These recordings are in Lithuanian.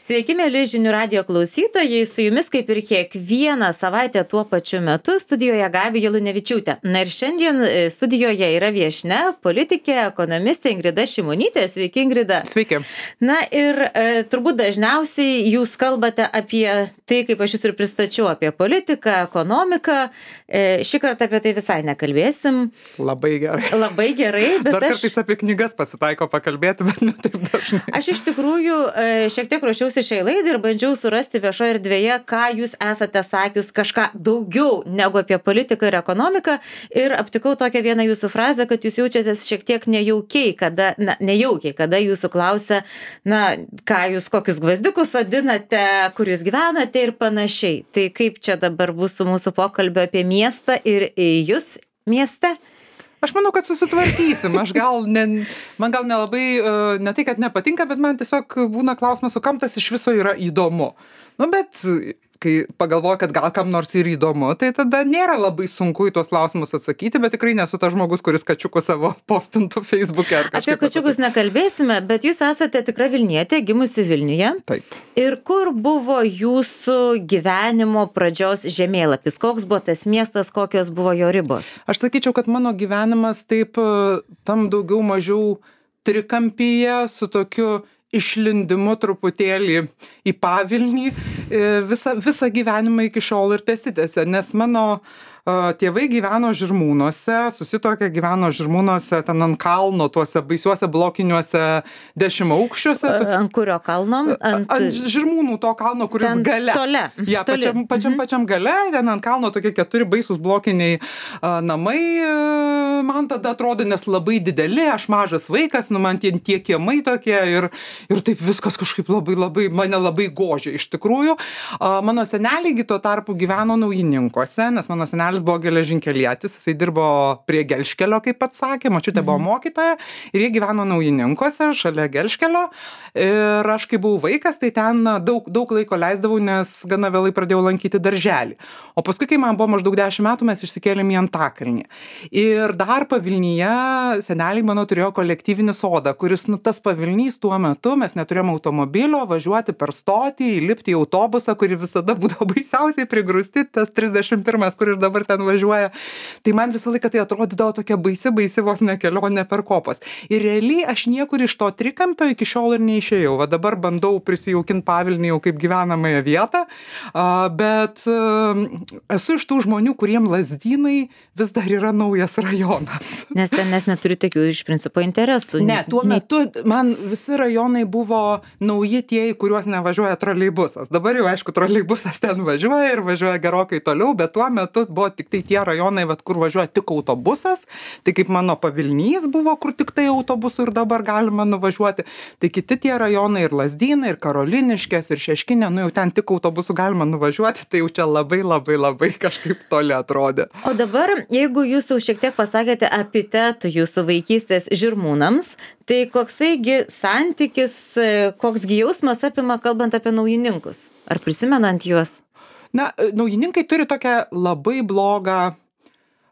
Sveiki, mėly žinių radio klausytojai, su jumis kaip ir kiekvieną savaitę tuo pačiu metu studijoje Gabija Lunevičiūtė. Na ir šiandien studijoje yra viešnia, politikė, ekonomistė Ingrida Šimonytė. Sveiki, Ingrida. Sveiki. Na ir turbūt dažniausiai jūs kalbate apie tai, kaip aš jūs ir pristačiau, apie politiką, ekonomiką. Šį kartą apie tai visai nekalbėsim. Labai gerai. Labai gerai, bet Dar kartais apie knygas pasitaiko pakalbėti, bet ne taip dažnai. Aš iš tikrųjų šiek tiek ruošiausi šiai laidai ir bandžiau surasti viešoje erdvėje, ką jūs esate sakius kažką daugiau negu apie politiką ir ekonomiką, ir aptikau tokią vieną jūsų frazę, kad jūs jaučiatės šiek tiek nejaukiai, kada jūsų klausia, ką jūs kokius gvazdikus sodinate, kur jūs gyvenate ir panašiai. Tai kaip čia dabar bus su mūsų pokalbio apie miestą ir jūs mieste? Aš manau, kad susitvarkysim. Man gal nelabai, ne tai, kad nepatinka, bet man tiesiog būna klausimas, o kam tas iš viso yra įdomu. Bet kai pagalvoju, kad gal kam nors ir įdomu, tai tada nėra labai sunku į tuos klausimus atsakyti, bet tikrai nesu tas žmogus, kuris kačiukus savo postintų Facebook'e ar kažkaip. Apie kačiukus nekalbėsime, bet jūs esate tikra Vilnietė, gimusi Vilniuje. Taip. Ir kur buvo jūsų gyvenimo pradžios žemėlapis? Koks buvo tas miestas, kokios buvo jo ribos? Aš sakyčiau, kad mano gyvenimas taip tam daugiau mažiau trikampyje su tokiu išlindimu truputėlį į pavilnį visą gyvenimą iki šiol ir tesitėse, nes mano tėvai gyveno Žirmūnuose, susituokė gyveno Žirmūnuose, ten ant kalno, tuose baisiuose blokiniuose 10 aukščiuose. Ant kurio kalno? Ant Žirmūnų to kalno, kuris ten gale. Tole. Ja, pačiam gale, ten ant kalno tokie 4 baisūs blokiniai namai. Man tada atrodo, nes labai dideli, aš mažas vaikas, man tie kiemai tokie ir taip viskas kažkaip mane labai gožė iš tikrųjų. Mano seneliai tuo tarpu gyveno Naujininkuose, nes mano senelis buvo geležinkelietis, jisai dirbo prie Gelžkelio, kaip pats sakė, močiutė buvo mokytoja ir jie gyveno Naujininkuose, šalia Gelžkelio. Ir aš kai buvau vaikas, tai ten daug laiko leisdavau, nes gana vėlai pradėjau lankyti darželį. O paskui, kai man buvo maždaug 10 metų, mes išsikėlėm į Antakalnį. Ir dar pavilnyje seneliai mano turėjo kolektyvinį sodą, kuris, tas pavilnys tuo metu, mes neturėjom automobilio, važiuoti per stotį, įlipti į autobusą, kuri visada būdavo baisiausiai prigrūsti, tas 31, kur ir dabar ten važiuoja. Tai man visą laiką tai atrodydavo tokia baisi vos ne kelionė per kopas. Ir realiai aš niekur iš to trikampio iki šiol ir neišėjau. Va dabar bandau prisijaukinti Pavilnį jau kaip gyvenamąją vietą, bet esu iš tų žmonių, kuriem Lazdynai vis dar yra naujas rajonas. Nes neturi tokių iš principo interesų. Ne, tuo metu man visi rajonai buvo nauji tie, į kuriuos nevažiuoja troleibusas. Dabar jau, aišku, troleibusas ten važiuoja ir važiuoja gerokai toliau, bet tuo metu buvo tik tai tie rajonai, kur važiuoja tik autobusas. Tai kaip mano Pavilnys buvo, kur tik tai autobusų ir dabar galima nuvažiuoti. Tai kiti tie rajonai ir Lazdynai, ir Karoliniškės, ir Šeškinė, jau ten tik autobusų galima nuvažiuoti, tai jau čia labai kažkaip toli atrodė. O dabar, jeigu jūs jau šiek tiek pasakėte epitetų jūsų vaikystės Žirmūnams, tai koksai santykis, koksgi jausmas apima kalbant apie Naujininkus? Ar prisimenant juos? Naujininkai turi tokią labai blogą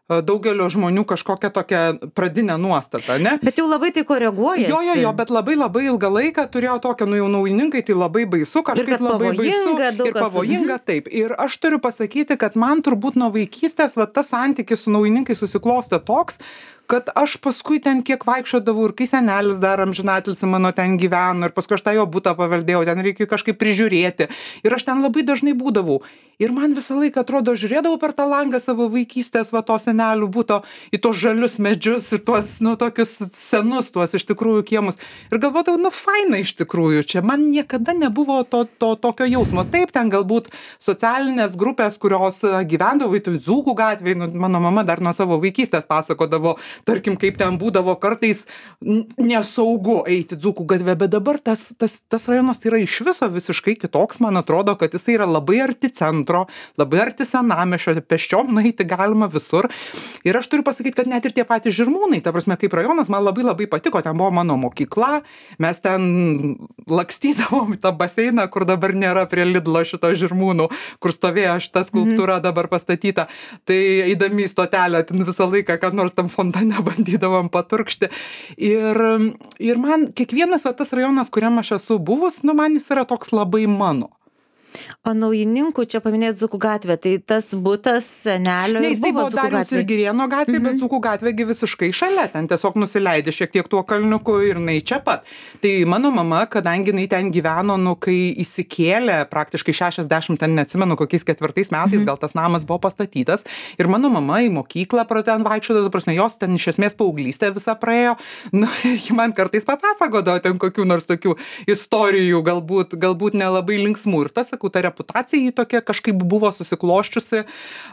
daugelio žmonių kažkokią tokią pradinę nuostatą, ne? Bet jau labai tai koreguojasi. Jo, bet labai ilgą laiką turėjo tokią, jau Naujininkai, tai labai baisu, kažkaip labai baisu ir pavojinga, taip. Ir aš turiu pasakyti, kad man turbūt nuo vaikystės tas santykis su Naujininkai susiklostė toks, kad aš paskui ten kiek vaikščiodavau ir kai senelis dar amžinatilsį mano ten gyveno ir paskui aš tą jo butą paveldėjau, ten reikėjo kažkaip prižiūrėti ir aš ten labai dažnai būdavau. Ir man visą laiką atrodo, žiūrėdavau per tą langą savo vaikystės, to senelių buto, į tos žalius medžius ir tuos, tokius senus, tuos iš tikrųjų kiemus. Ir galvodavau, faina iš tikrųjų, čia man niekada nebuvo to tokio jausmo. Taip, ten galbūt socialinės grupės, kurios gyvendavo į Dzūkų gatvėje, mano mama dar nuo savo vaikystės pasakodavo, tarkim, kaip ten būdavo kartais nesaugu eiti Dzūkų gatvę, bet dabar tas rajonas yra iš viso visiškai kitoks, man atrodo, kad jisai yra labai arti centro, labai arti senamiesčio, pėsčiom nueiti galima visur. Ir aš turiu pasakyti, kad net ir tie patys Žirmūnai, ta prasme, kaip rajonas, man labai patiko, ten buvo mano mokykla, mes ten lakstydavom į tą baseiną, kur dabar nėra prie Lidlo šito Žirmūnų, kur stovėjo šita skulptūra dabar pastatyta, tai eidami į stotelę ten visą laiką, kad nors tam fontane nebandydavom paturkšti. Ir man kiekvienas tas rajonas, kuriam aš esu buvus, man jis yra toks labai mano. O Naujininkų, čia paminėjot Dzūkų gatvę, tai tas butas senelio ir buvo Dariaus ir Girėno gatvė, bet Dzūkų gatvėgi visiškai šalia, ten tiesiog nusileidė šiek tiek tuo kalniuku ir jinai čia pat. Tai mano mama, kadangi jinai ten gyveno, kai įsikėlė praktiškai 60, ten neatsimenu, kokiais 4 metais, gal tas namas buvo pastatytas, ir mano mama į mokyklą pro ten vaikščiodavo, prasme, jos ten iš esmės paauglystė visą praėjo, ir ji man kartais papasakodavo ten kokių nors tokių istorijų, galbūt nelabai linksmų, ir tas, sakau, ta reputacija jį tokia kažkaip buvo susikloščiusi.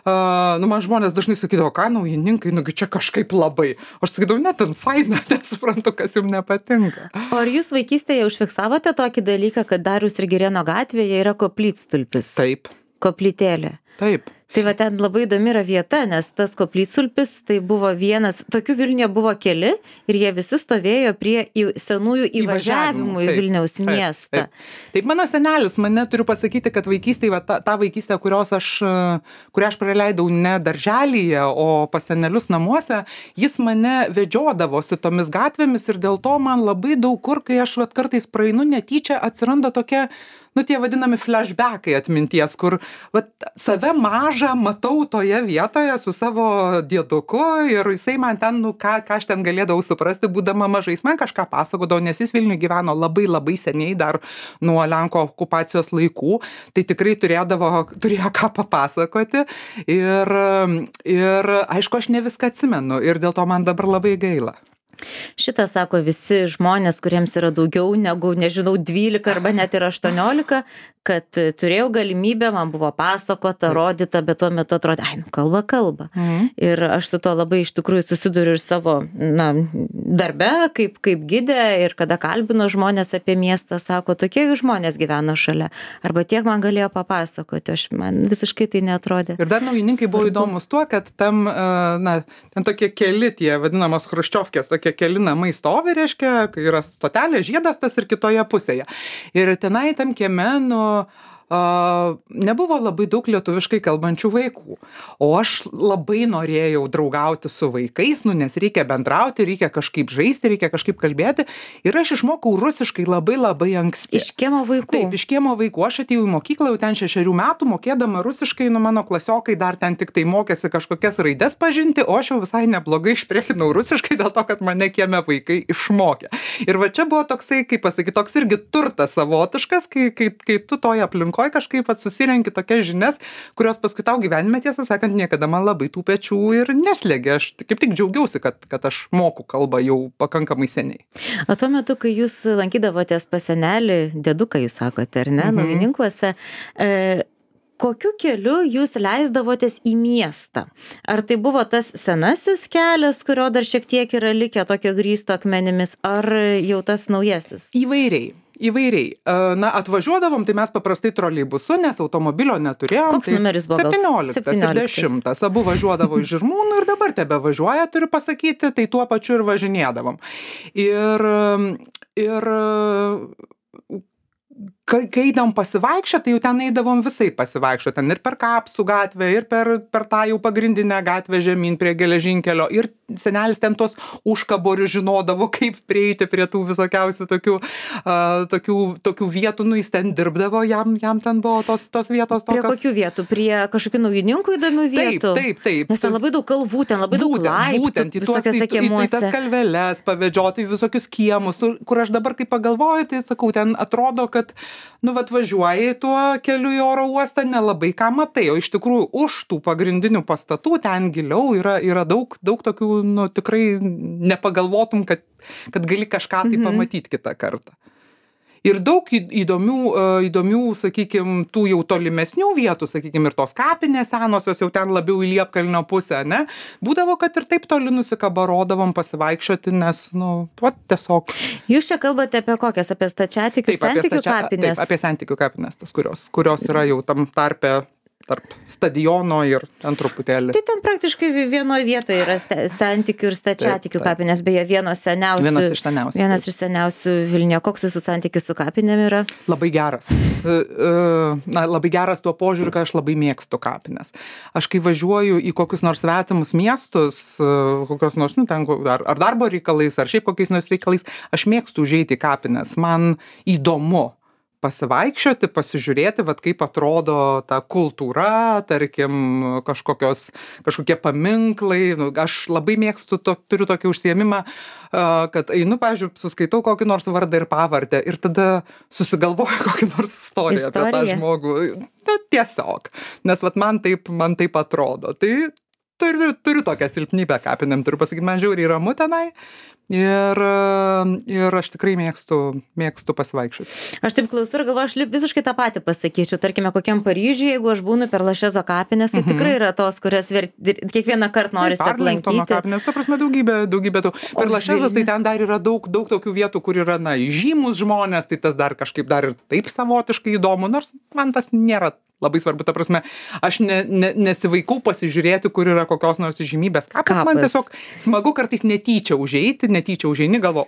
Man žmonės dažnai sakydavo, ką Naujininkai, čia kažkaip labai. Aš sakydavau, net ten faina, nesuprantu, kas jums nepatinka. O ar jūs vaikystėje užfiksavote tokį dalyką, kad Dariaus ir Girėno gatvėje yra koplytstulpis? Taip. Koplytėlė. Taip. Tai va ten labai įdomi yra vieta, nes tas koplytstulpis tai buvo vienas, tokių Vilniuje buvo keli ir jie visi stovėjo prie senųjų įvažiavimų į Vilniaus miestą. Taip, mano senelis, turiu pasakyti, kad vaikystėje, ta vaikystė, kurią aš praleidau ne darželyje, o pas senelius namuose, jis mane vedžiodavosi tomis gatvėmis ir dėl to man labai daug kur, kai aš kartais praeinu netyčia, atsiranda tokia, tie vadinami flashbackai atminties, kur save mažą matau toje vietoje su savo dieduku ir jisai man ten, ką aš ten galėdavau suprasti, būdama mažais, man kažką pasakodavo, nes jis Vilniuje gyveno labai labai seniai, dar nuo Lenkų okupacijos laikų, tai tikrai turėjo ką papasakoti ir aišku, aš ne viską atsimenu ir dėl to man dabar labai gaila. Šitą sako visi žmonės, kuriems yra daugiau negu, 12 arba net ir 18, kad turėjau galimybę, man buvo pasakota, rodyta, bet tuo metu atrodė, kalba. Ir aš su to labai iš tikrųjų susiduriu ir savo darbe, kaip gidė, ir kada kalbino žmonės apie miestą, sako, tokie žmonės gyvena šalia, arba tiek man galėjo papasakoti, man visiškai tai neatrodė. Ir dar Naujininkai buvo įdomus tuo, kad ten tokie keli tie vadinamos chruščiovkės, tokie keli namai stovi, reiškia, kai yra stotelė, žiedas tas ir kitoje pusėje. Ir tenai tam kieme, nebuvo labai daug lietuviškai kalbančių vaikų. O aš labai norėjau draugauti su vaikais, nes reikia bendrauti, reikia kažkaip žaisti, reikia kažkaip kalbėti. Ir aš išmokau rusiškai labai labai anksti. Iš kiemo vaikų? Taip, iš kiemo vaikų. Aš atėjau į mokyklą jau ten 6 metų, mokėdama rusiškai, mano klasiokai dar ten tik tai mokėsi kažkokias raides pažinti, o aš jau visai neblogai išpriekinau rusiškai dėl to, kad mane kieme vaikai išmokė. Ir va čia buvo toksai, kaip pasakyti, toks irgi turtas savotiškas, kai tu toje aplinkoje kažkaip susirenki tokias žinias, kurios paskui tau gyvenime, tiesą sakant, niekada man labai tų pečių ir neslėgė. Aš kaip tik džiaugiausi, kad aš moku kalbą jau pakankamai seniai. O tuo metu, kai jūs lankydavotės pas senelį, dėduką jūs sakote, ar ne, Naujininkuose, kokiu keliu jūs leisdavotės į miestą? Ar tai buvo tas senasis kelias, kurio dar šiek tiek yra likę tokio grįsto akmenimis, ar jau tas naujasis? Įvairiai. Atvažiuodavom, tai mes paprastai troleibusu, nes automobilio neturėjom. Koks numeris buvo? 17 ir 10. Abu važiuodavo iš Žirmūnų ir dabar tebe važiuoja, turiu pasakyti, tai tuo pačiu ir važinėdavom. Ir kai eidam pasivaikščioti, tai jau ten eidavom visai pasivaikščioti. Ten ir per Kapsų gatvę, ir per tą jau pagrindinę gatvę žemyn prie geležinkelio. Ir senelis ten tos užkaborių žinodavo, kaip prieiti prie tų visokiausių tokių vietų. Jis ten dirbdavo, jam ten buvo tos vietos tokios. Prie kokių vietų? Prie kažkokių Naujininkų įdomių vietų? Taip. Nes ten labai daug kalvų, ten labai daug laiptų. Būtent, į tas kalveles pavedžioti, visokius kiemus, kur aš dabar kai pagalvoju, tai sakau, ten atrodo, kad važiuoji tuo keliu į oro uostą, nelabai ką matai, o iš tikrųjų už tų pagrindinių pastatų ten giliau yra daug tokių, tikrai nepagalvotum, kad gali kažką tai pamatyti kitą kartą. Ir daug įdomių, sakykime, tų jau tolimesnių vietų, sakykime, ir tos kapinės senosios jau ten labiau į Liepkalnio pusę, ne? Būdavo, kad ir taip toli nusikabarodavom pasivaikščioti, nes, tiesiog. Jūs čia kalbate apie kokias? Apie stačiatikių ir sentikių kapinės? Taip, apie sentikių kapinės, tas, kurios yra jau tam tarpe tarp stadiono ir ten truputėlį. Tai ten praktiškai vienoje vietoje yra santykių ir stačiatikių kapinės, beje, vienas iš seniausių Vilniuje. Koks jūsų santykis su kapinėm yra? Labai geras. Labai geras tuo požiūriu, kad aš labai mėgstu kapines. Aš kai važiuoju į kokius nors svetimus miestus, kokios nors, ten, ar darbo reikalais, ar šiaip kokiais nors reikalais, aš mėgstu užeiti į kapines. Man įdomu pasivaikščioti, pasižiūrėti, kaip atrodo ta kultūra, tarkim, kažkokie paminklai. Aš labai mėgstu, turiu tokį užsiėmimą, kad einu, pavyzdžiui, suskaitau kokį nors vardą ir pavardę ir tada susigalvoju kokį nors istoriją apie tą žmogų. Tiesiog. Nes man taip atrodo. Tai turiu tokią silpnybę kapinėm, turiu pasakyti, man žiauriai ramu tenai. Ir aš tikrai mėgstu pasivaikščioti. Aš taip klausau ir galvoju, aš visiškai tą patį pasakyčiau. Tarkime, kokiam Paryžiuje, jeigu aš būnu per Lašezo kapines, tai tikrai yra tos, kurias kiekvieną kartą norisi aplankyti. Kapines, ta prasme, daugybė tų. Per Lašezas tai ten dar yra daug tokių vietų, kur yra, žymus žmonės, tai tas dar kažkaip dar ir taip savotiškai įdomu, nors man tas nėra labai svarbu, ta prasme, aš nesivaikau pasižiūrėti, kur yra kokios nors žymybės kapas. Man tiesiog smagu kartais netyčia užeini, galvo,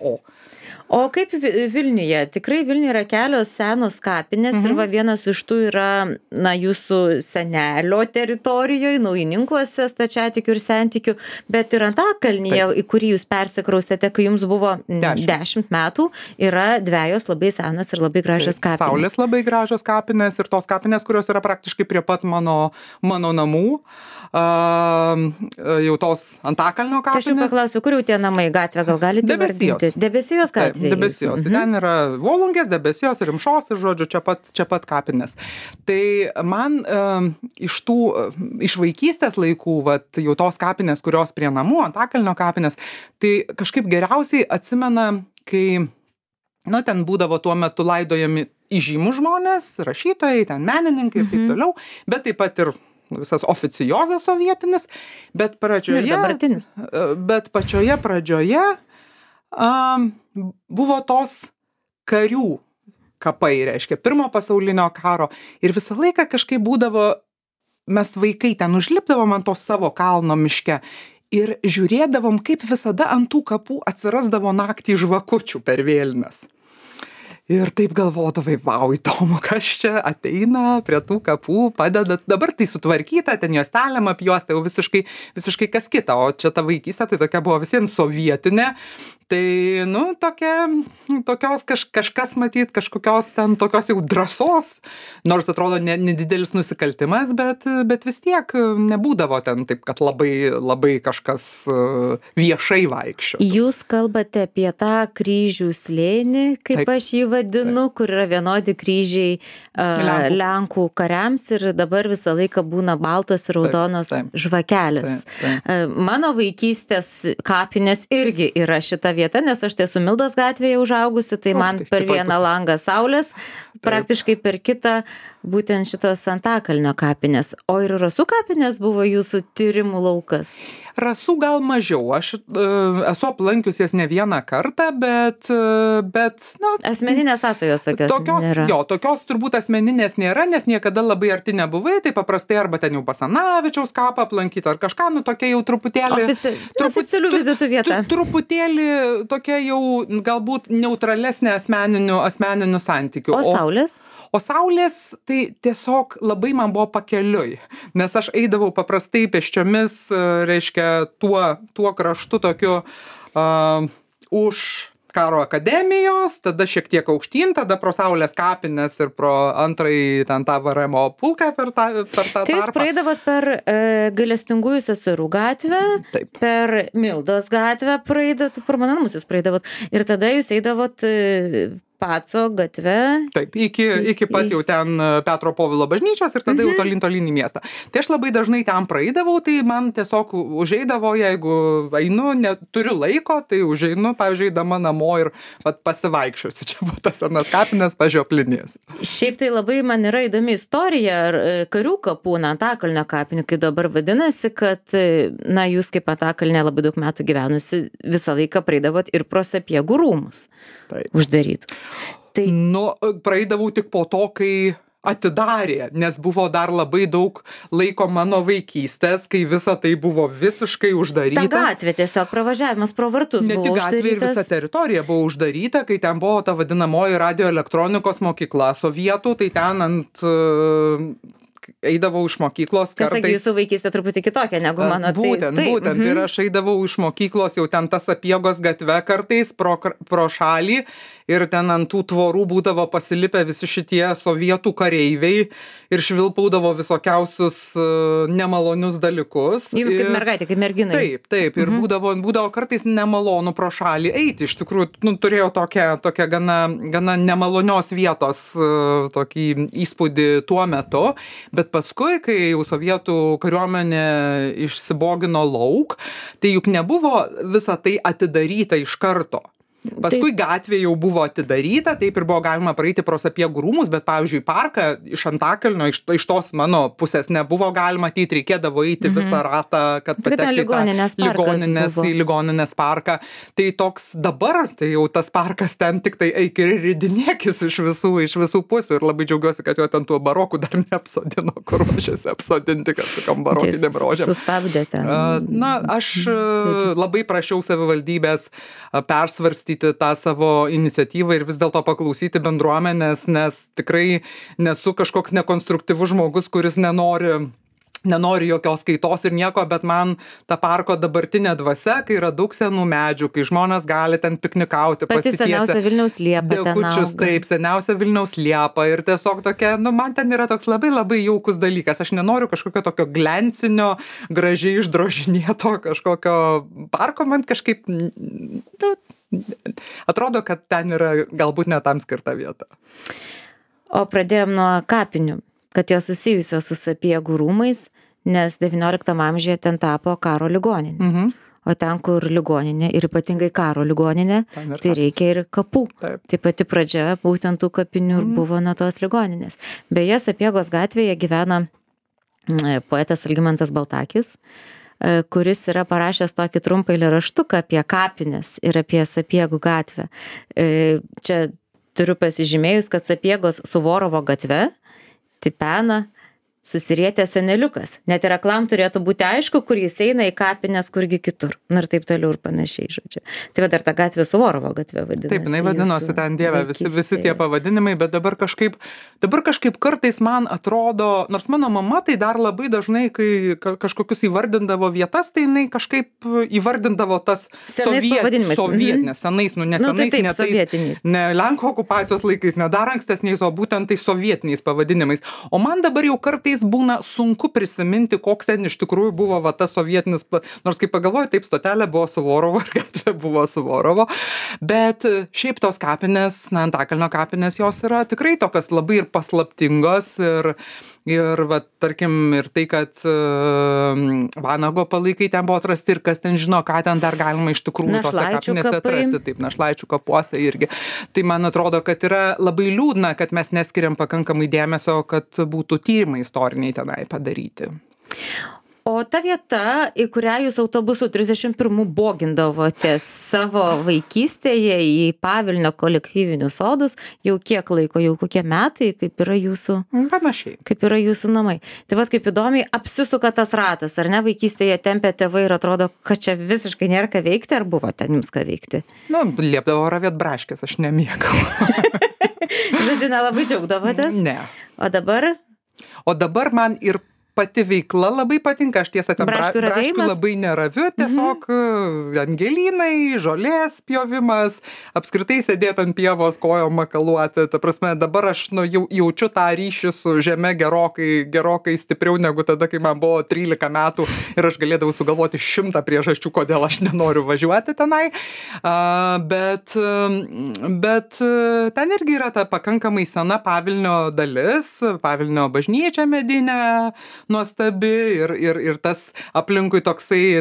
O kaip Vilniuje? Tikrai Vilniuje yra kelios senos kapinės ir vienas iš tų yra, jūsų senelio teritorijoje, Naujininkuose, stačiatikių ir sentikių, bet ir Antakalnyje, į kurį jūs persikraustėte, kai jums buvo 10 metų, yra dvejos labai senos ir labai gražios kapinės. Saulės labai gražios kapinės ir tos kapinės, kurios yra praktiškai prie pat mano namų. Jau tos Antakalnio kapinės. Aš jau paklausiu, kur jau tie namai, gatvė, gal galite vardinti? Debesijos gatvė. Debesijos. Ten yra Volungės, Debesijos, Rimšos ir, žodžiu, čia pat kapinės. Tai man iš vaikystės laikų, jau tos kapinės, kurios prie namų, Antakalnio kapinės, tai kažkaip geriausiai atsimena, kai ten būdavo tuo metu laidojami įžymūs žmonės, rašytojai, ten menininkai ir taip toliau, bet taip pat ir visas oficiozas sovietinis, bet pačioje pradžioje buvo tos karių kapai, reiškia, Pirmo pasaulinio karo ir visą laiką kažkaip būdavo, mes vaikai ten užlipdavom ant to savo kalno miške ir žiūrėdavom, kaip visada ant tų kapų atsirasdavo naktį žvakučių per vėlines. Ir taip galvodavai, vau, įdomu, kas čia ateina prie tų kapų, padeda. Dabar tai sutvarkyta, ten juostelėm apjuosta, jau visiškai kas kita, o čia ta vaikystė tai tokia buvo visiems sovietinė. Tai, tokios kažkas matyt, kažkokios ten tokios jau drąsos, nors atrodo nedidelis nusikaltimas, bet vis tiek nebūdavo ten taip, kad labai kažkas viešai vaikščio. Jūs kalbate apie tą kryžių slėnį, kaip aš jį vadinu, kur yra vienodi kryžiai Lenkų kariams ir dabar visą laiką būna baltos ir raudonos žvakelės. Mano vaikystės kapinės irgi yra šita vieta, nes aš esu Mildos gatvėje užaugusi, tai man per vieną langą saulės, praktiškai per kitą būtent šitos Antakalnio kapinės. O ir Rasų kapinės buvo jūsų tyrimų laukas? Rasų gal mažiau. Aš esu aplankius jas ne vieną kartą, bet asmeninės sąsajos tokios nėra. Tokios turbūt asmeninės nėra, nes niekada labai arti nebuvai, tai paprastai arba ten jau Basanavičiaus kapą aplankyti, ar kažką, tokia jau truputėlį... Oficialių vizitų vieta. Truputėlį tokia jau galbūt neutralesnė asmeninių santykių. O Saulės? O Saulės, tai tiesiog labai man buvo pakeliui, nes aš eidavau paprastai pėsčiomis, reiškia, tuo kraštu tokiu už karo akademijos, tada šiek tiek aukštyn, tada pro Saulės kapines ir pro antrąjį ten tą VRM pulką per tą tarpą. Tai jūs praeidavot per Gailestingųjų seserų gatvę, per Mildos gatvę praeidavot, per mano namus jūs praeidavot ir tada jūs eidavot Paco gatve. Taip, iki pat jau ten Petro Povilo bažnyčios ir tada jau tolyn į miestą. Tai aš labai dažnai ten praeidavau, tai man tiesiog užeidavo, jeigu einu, neturiu laiko, tai užeinu, pavyzdžiui, eidama namo ir pasivaikščiosiu. Čia buvo tas senas kapinės pažioplinės. Šiaip tai labai man yra įdomi istorija karių kapų, Antakalnio kapinių, kaip dabar vadinasi, kad, jūs kaip Antakalnė labai daug metų gyvenusi, visą laiką praeidavot ir pro Sapiegų rūmus uždarytus. Praeidavau tik po to, kai atidarė, nes buvo dar labai daug laiko mano vaikystės, kai visa tai buvo visiškai uždaryta. Ta gatvė tiesiog pravažiavimas pro vartus buvo uždarytas. Ne tik gatvė, ir visa teritorija buvo uždaryta, kai ten buvo ta vadinamoji radioelektronikos mokykla sovietų, tai ten ant eidavau iš mokyklos kartais. Sakė, jūsų vaikystė truputį kitokia negu mano. Būtent. Ir aš eidavau iš mokyklos jau ten tas Sapiegos gatve kartais pro šalį ir ten ant tų tvorų būdavo pasilipę visi šitie sovietų kareiviai ir švilpaudavo visokiausius nemalonius dalykus. Jums kaip mergaitė, kaip merginai. Taip. Ir būdavo kartais nemalonu pro šalį eiti. Iš tikrųjų, turėjau tokią gana nemalonios vietos tokį įspūdį tuo metu. Bet paskui, kai jau sovietų kariuomenė išsibogino lauk, tai juk nebuvo visa tai atidaryta iš karto. Paskui gatvė jau buvo atidaryta, taip ir buvo galima praeiti pro Sapiegų rūmus, bet, pavyzdžiui, parką iš Antakalnio, iš tos mano pusės nebuvo galima matyti, reikėdavo eiti visą ratą, kad patekti į ligoninės parką. Tai toks dabar, tai jau tas parkas ten tik tai eik ir ridinėkis iš visų pusių ir labai džiaugiuosi, kad jo ten tuo baroku dar neapsodino, kur ruošiasi apsodinti kažkokiam barokinėm rožėm. Sustabdėte. Aš labai prašiau savivaldybės persvarstyti tą savo iniciatyvą ir vis dėlto paklausyti bendruomenės, nes tikrai nesu kažkoks nekonstruktyvus žmogus, kuris nenori jokios kaitos ir nieko, bet man ta parko dabartinė dvasia, kai yra daug senų medžių, kai žmonės gali ten piknikauti, pasitiesę. Pati seniausia Vilniaus liepa dekučius, taip, seniausia Vilniaus liepa ir tiesiog tokia, man ten yra toks labai labai jaukus dalykas. Aš nenoriu kažkokio tokio glensinio, gražiai išdrožinėto kažkokio parko, man kažkaip atrodo, kad ten yra galbūt ne tam skirta vieta. O pradėjom nuo kapinių, kad jos susijusios su Sapiegų rūmais, nes XIX amžiuje ten tapo karo ligoninė. O ten, kur ligoninė ir ypatingai karo ligoninė, tai reikia ir kapų. Taip. Tai pati pradžia būtent tų kapinių ir buvo nuo tos ligoninės. Beje, Sapiegos gatvėje gyvena poetas Algimantas Baltakis, kuris yra parašęs tokį trumpą eilėraštuką apie kapines ir apie Sapiegų gatvę. Čia turiu pasižymėjus, kad Sapiegos Suvorovo gatve tipena susirietęs seneliukas. Net ir aklam turėtų būti aišku, kur jis eina į kapines, kurgi kitur. Ir taip toliau ir panašiai, žodžiu. Tai va dar ta gatvė Suvorovo gatvė vadinasi. Taip, jinai vadinosi ten Dieve, visi tie pavadinimai, bet dabar kažkaip kartais man atrodo, nors mano mama tai dar labai dažnai, kai kažkokius įvardindavo vietas, tai jinai kažkaip įvardindavo tas sovietinės, senais, ne Lenkų okupacijos laikais, ne dar ankstesniais, o būtent tai sovietiniais pavadinimais. O man dabar jau kartais būna sunku prisiminti, koks ten iš tikrųjų buvo va tas sovietinis, nors kaip pagalvoju, taip, stotelė buvo Suvorovo ir gatvė buvo Suvorovo, bet šiaip tos kapinės, Antakalnio kapinės, jos yra tikrai tokios labai ir paslaptingos ir va, tarkim, ir tai, kad Vanago palaikai ten buvo atrasti ir kas ten žino, ką ten dar galima iš tikrųjų tose kapinėse atrasti, taip, Našlaičių kapuose irgi. Tai man atrodo, kad yra labai liūdna, kad mes neskiriam pakankamai dėmesio, kad būtų tyrimai istoriniai tenai padaryti. O ta vieta, į kurią jūs autobusu 31 bogindavote savo vaikystėje į Pavilnio kolektyvinius sodus, jau kiek laiko, jau kokie metai, kaip yra jūsų? Panašiai. Kaip yra jūsų namai. Tai vat kaip įdomiai apsisuka tas ratas, ar ne, vaikystėje tempė tėvai ir atrodo, kad čia visiškai nėra ką veikti, ar buvo ten jums ką veikti? Liepdavo ravėt braškės, aš nemėgau. Žodžiu, nelabai džiaugdavotės? Ne. O dabar? O dabar man ir pati veikla labai patinka, aš tiesą ten braškių labai neraviu, tiesiog angelynai, žolės pjovimas, apskritai sėdėti ant pievos, kojom makaluoti, ta prasme, dabar aš jaučiu tą ryšį su žeme gerokai stipriau negu tada, kai man buvo 13 metų ir aš galėdavau sugalvoti 100 priežasčių, kodėl aš nenoriu važiuoti tenai, bet ten irgi yra ta pakankamai sena Pavilnio dalis, Pavilnio bažnyčia medinė, nuostabi ir tas aplinkui toksai,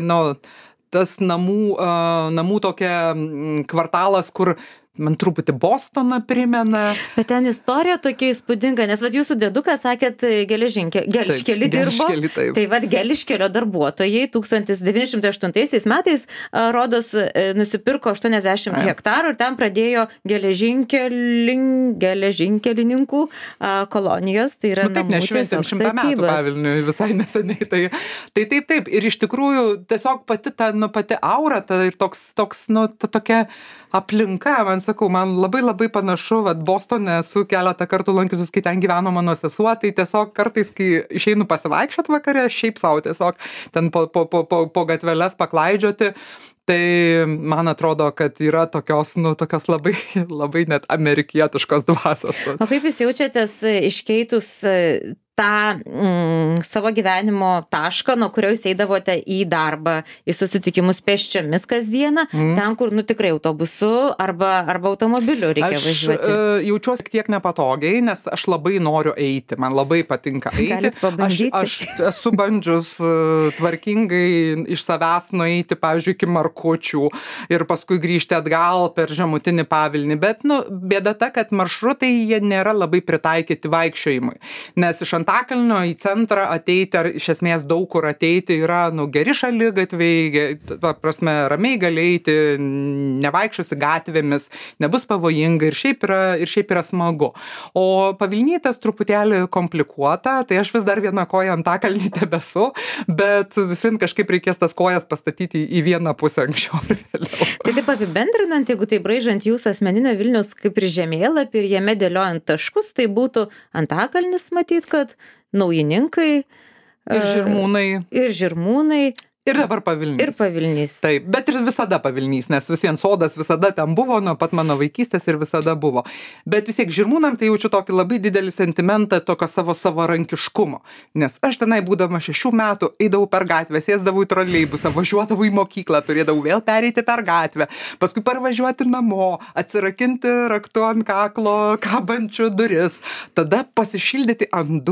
tas namų tokia kvartalas, kur man truputį Bostoną primena. Bet ten istorija tokia įspūdinga, nes vat jūsų dėdukas, sakėt, Geliškelį dirbo. Tai vat Geliškelio darbuotojai 1908 metais, rodos, nusipirko 80 hektarų ir ten pradėjo geležinkelininkų kolonijos. Tai yra taip, nešventėm 100 metų Pavilniui visai neseniai. Tai taip. Ir iš tikrųjų tiesiog pati aura, ir toks, tokia aplinka, man labai panašu, Bostone esu keletą kartų lankiusis, kai ten gyveno mano sesuo, tai tiesiog kartais, kai išeinu pasivaikščiot vakare, šiaip savo tiesiog ten po gatveles paklaidžioti, tai man atrodo, kad yra tokios labai net amerikietiškos dvasios. O kaip jūs jaučiatės iškeitus tą savo gyvenimo tašką, nuo kurio jūs eidavote į darbą, į susitikimus pėsčiomis kasdieną, ten, kur tikrai autobusu arba automobiliu reikia važiuoti? Aš jaučiuosi tiek nepatogiai, nes aš labai noriu eiti, man labai patinka eiti. Galit pabandyti? Aš esu bandžius tvarkingai iš savęs nueiti, pavyzdžiui, iki Markučių ir paskui grįžti atgal per žemutinį Pavilnį, bet bėda ta, kad maršrutai jie nėra labai pritaikyti vaikščiojimui, nes iš Antakalnio į centrą ateiti, ar iš esmės daug kur ateiti yra, geri šaligatviai, ramiai gali eiti, nevaikščiosi gatvėmis, nebus pavojinga ir šiaip yra smagu. O Pavilnytas truputėlį komplikuota, tai aš vis dar vieną koją Antakalnį tebesu, bet vis vien kažkaip reikės tas kojas pastatyti į vieną pusę anksčiau ir vėliau. Tai taip apibendrinant, jeigu tai braižant jūsų asmeninio Vilniaus kaip ir žemėlapį ir jame dėliojant taškus, tai būtų Antakalnis, matyt, kad Naujininkai ir Žirmūnai. Ir dabar Pavilnys. Ir Pavilnys. Taip, bet ir visada Pavilnys, nes vis vien sodas visada ten buvo, nuo pat mano vaikystės ir visada buvo. Bet vis tiek Žirmūnam tai jaučiu tokį labai didelį sentimentą tokio savarankiškumo. Nes aš tenai būdama 6 metų eidavau per gatvę, sėsdavau į troleibusą, važiuodavau į mokyklą, turėdavau vėl pereiti per gatvę, paskui parvažiuoti namo, atsirakinti raktu ant kaklo kabančių duris, tada pasišildyti ant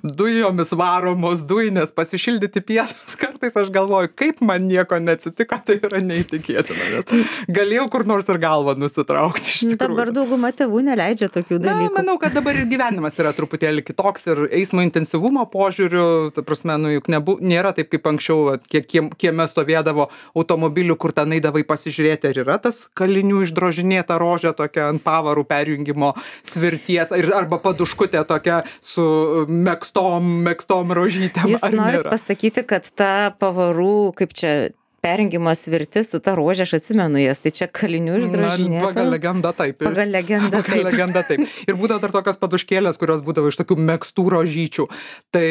dujomis varomos dujinės, pasišildyti pietus. Kartais aš galvoju, kaip man nieko neatsitiko, tai yra neįtikėtina, nes galėjau kur nors ir galvą nusitraukti iš tikrųjų. Dabar dauguma tėvų neleidžia tokių dalykų. Manau, kad dabar ir gyvenimas yra truputėlį kitoks ir eismo intensyvumo požiūriu, ta prasme, juk nėra taip kaip anksčiau, kieme stovėdavo automobilių, kur ten eidavai pasižiūrėti, ar yra tas kalinių išdrožinėta rožė tokia ant pavarų perjungimo svirties, arba paduškutė tokia su megztom rožytėm. Jūs norit pasakyti, kad ta pavarų, kaip čia, perjungimo svirtis su ta rožė, aš atsimenu jas, tai čia kalinių išdrožinėta. Pagal legendą taip. Ir būdavo dar tokios paduškėlės, kurios būdavo iš tokių megztų rožyčių. Tai,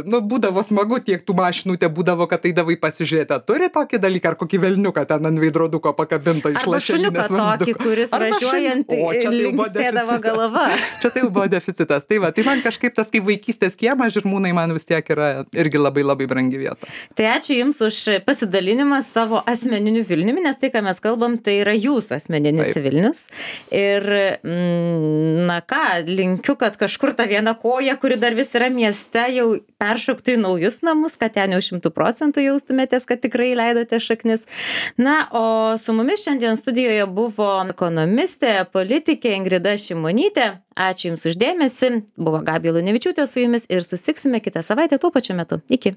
būdavo smagu, tiek tų mašinų būdavo, kad eidavai pasižiūrėti. Turi tokį dalyką, ar kokį velniuką ten ant veidroduko pakabintą iš lašelinės vamzduko. Arba šuniuką tokį, kuris važiuojant linksėdavo galva. Čia tai buvo deficitas. Tai man kažkaip tas kaip vaikystės kiemas Žirmūnai man vis tiek yra irgi labai labai brangi vieta. Tai ačiū Jums už pasidalinimą savo asmeniniu Vilniumi, nes tai, ką mes kalbam, tai yra jūsų asmeninis Vilnius. Ir, linkiu, kad kažkur ta viena koja, kuri dar vis yra mieste, jau peršoktų į naujus namus, kad ten jau 100% jaustumėtės, kad tikrai leidote šaknis. O su mumis šiandien studijoje buvo ekonomistė, politikė Ingrida Šimonytė. Ačiū Jums už dėmesį. Buvo Gabija Lunevičiūtė su Jumis ir susitiksime kitą savaitę tuo pačiu metu. Iki.